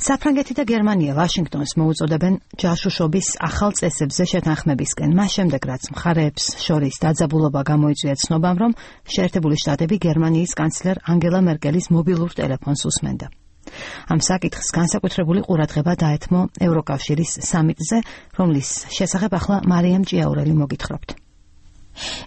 საფრანგეთი და გერმანია ვაშინგტონს მოუწოდებენ ჯაშუშობის ახალ წესებზე შეთანხმებისკენ. მას შემდეგ, რაც მხარეებს შორის დაძაბულობა გამოიწვია ცნობამ, რომ შეერთებული შტატები გერმანიის კანცლერ ანგელა მერკელის მობილურ ტელეფონს უსმენდა. ამ საკითხს განსაკუთრებული ყურადღება დაეთმო ევროკავშირის სამიტზე, რომლის შესახებ ახლა მარიამ ჭიაურელი მოგითხრობთ.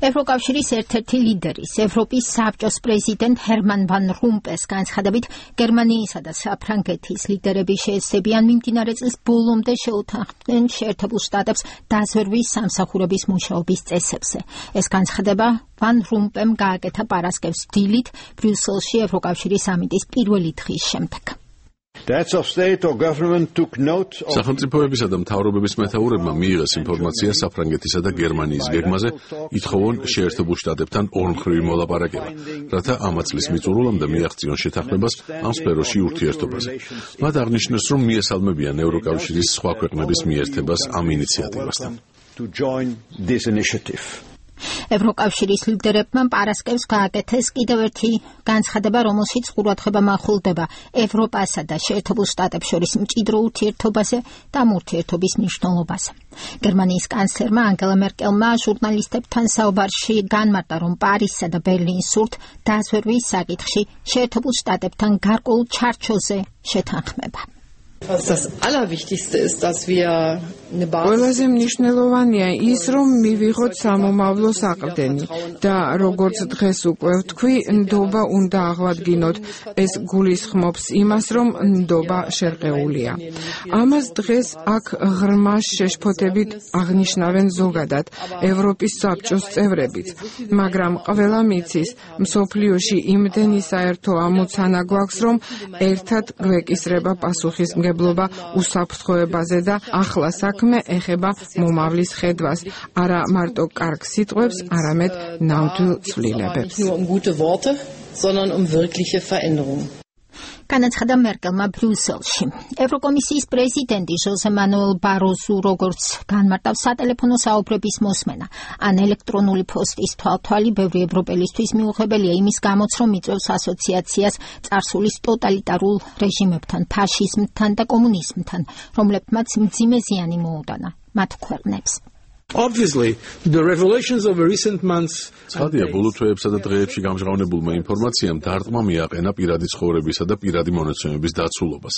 ევროკავშირის ერთ-ერთი ლიდერის, ევროპის საბჭოს პრეზიდენტ ჰერმან ვან რომპეს განცხადებით, გერმანიისა და საფრანგეთის ლიდერები შეეცდებიან მიმდინარე წლის ბოლომდე შეუთანხმდნენ შეერთებულ შტატებს დაზვერვის სამსახურების მუშაობის წესებზე. ეს განცხადება ვან რომპემ გააკეთა პარასკევს დილით ბრიუსელში ევროკავშირის სამიტის პირველი დღის შემდეგ. სახელმწიფოებისა და მთავრობების მეთაურებმა მიიღეს ინფორმაცია საფრანგეთისა და გერმანიის გეგმაზე, ითხოვონ შეერთებულ შტატებთან ორმხრივი მოლაპარაკება, რათა ამა წლის მიწურულამდე მიაღწიონ შეთანხმებას ამ სფეროში ურთიერთობაზე. მათ აღნიშნეს, რომ მიესალმებიან ევროკავშირის სხვა ქვეყნების მიერთებას ამ ინიციატივასთან. ევროკავშირის ლიდერებმა პარასკევს გააკეთეს კიდევ ერთი განცხადება, რომელშიც ყურადღება მახვილდება ევროპასა და შეერთებულ შტატებს შორის მჭიდრო ურთიერთობაზე და ამ ურთიერთობის მნიშვნელობაზე. გერმანიის კანცლერმა ანგელა მერკელმა ჟურნალისტებთან საუბარში განმარტა, რომ პარიზსა და ბერლინს სურთ დაზვერვის საკითხში შეერთებულ შტატებთან გარკვეულ ჩარჩოზე შეთანხმება. ყველაზე მნიშვნელოვანია ის, რომ მივიღოთ სამომავლო საყრდენი და როგორც დღეს უკვე ვთქვი, ნდობა უნდა აღვადგინოთ. ეს გულისხმობს იმას, რომ ნდობა შერყეულია. ამას დღეს აქ ღრმა შეშფოთებით აღნიშნავენ ზოგადად ევროპის საბჭოს წევრებიც, მაგრამ ყველა მიცის, მსოფლიოში იმდენი საერთო ამოცანა გვაქვს, რომ ერთად გვეკისრება პასუხისმგებლობა უსაფრთხოებაზე და ახლა საქმე ეხება მომავლის ხედვას, არა მარტო კარგ სიტყვებს, არამედ ნამდვილ ცვლილებებს. განაცხადა მერკელმა ბრიუსელში. ევროკომისიის პრეზიდენტი ჟოზე მანუელ ბაროზუ როგორც განმარტავს, სატელეფონო საუბრების მოსმენა ან ელექტრონული პოსტის თვალთვალი ბევრი ევროპელისთვის მიუღებელია იმის გამოც, რომ იწვევს ასოციაციას წარსულის ტოტალიტარულ რეჟიმებთან, ფაშიზმთან და კომუნიზმთან, რომლებმაც მძიმე ზიანი მოუტანა მათ ქვეყნებს. Obviously, the revelations of recent months. Ცხადია, ბოლო თვეებსა და დღეებში გამჟღავნებულმა ინფორმაციამ დარტყმა მიაყენა პირადი ცხოვრებისა და პირადი მონაცემების დაცულობას.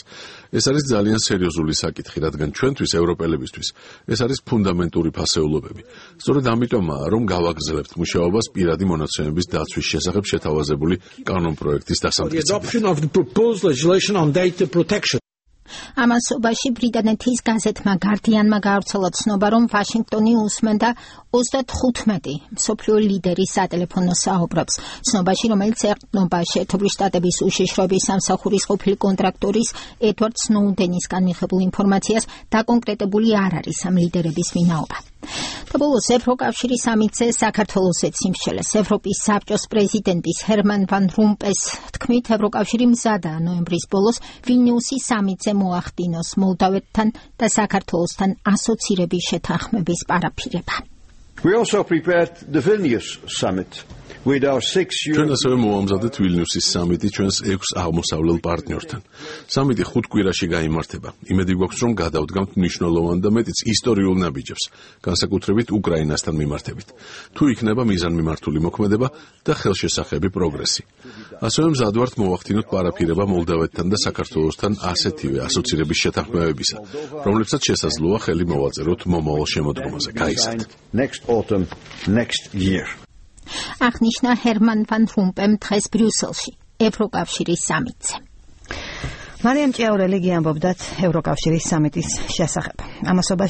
ეს არის ძალიან სერიოზული საკითხი, რადგან ჩვენთვის, ევროპელებისთვის, ეს არის ფუნდამენტური ფასეულობები. სწორედ ამიტომაა, რომ გავაგრძელებთ მუშაობას პირადი მონაცემების დაცვის შესახებ შეთავაზებული კანონპროექტის დასამტკიცებით. ამასობაში ბრიტანეთის გაზეთმა გარდიანმა გაავრცელა ცნობა, რომ ვაშინგტონი უსმენდა 35 მსოფლიო ლიდერის სატელეფონო საუბრებს. ცნობაში, რომელიც ეყრდნობა შეერთებული შტატების უშიშროების სამსახურის ყოფილი კონტრაქტორის ედვარდ სნოუდენისგან მიღებულ ინფორმაციას, დაკონკრეტებული არ არის ამ ლიდერების ვინაობა. და ბოლოს ევროკავშირის სამიტზე საქართველოსაც იმშელეს. ევროპის საბჭოს პრეზიდენტის ჰერმან ვან რომპეს თქმით, ევროკავშირი მზადაა ნოემბრის ბოლოს ვილნიუსის სამიტზე მოახდინოს მოლდავეთთან და საქართველოსთან ასოცირების შეთანხმების პარაფირება. We also prepared the Vilnius summit with our 6 ჩვენ ასევე მოამზადეთ ვილნიუსის სამიტი ჩვენს 6 აღმოსავლელ პარტნიორთან. სამიტი 5 კვირაში გაიმართება. იმედი გვაქვს, რომ გადავდგამთ მნიშვნელოვან და მეტიც ისტორიულ ნაბიჯებს, განსაკუთრებით უკრაინასთან მიმართებით. თუ იქნება მიზანმიმართული მოქმედება და ხელშესახები პროგრესი. ასევე მზად ვართ მოვახდინოთ პარაფირება მოლდავეთთან და საქართველოსთან ასეთივე ასოცირების შეთანხმებებისა, რომლებსაც შესაძლოა ხელი მოვაწეროთ მომავალ შემოდგომაზე. გაიზარდეთ. Next autumn, next year. აღნიშნა ჰერმან ვან რომპემ დღეს ბრიუსელში, ევროკავშირის სამიტზე. მარიამ ჭიაურელი გიამბობდათ ევროკავშირის სამიტის შესახებ. ამასობაში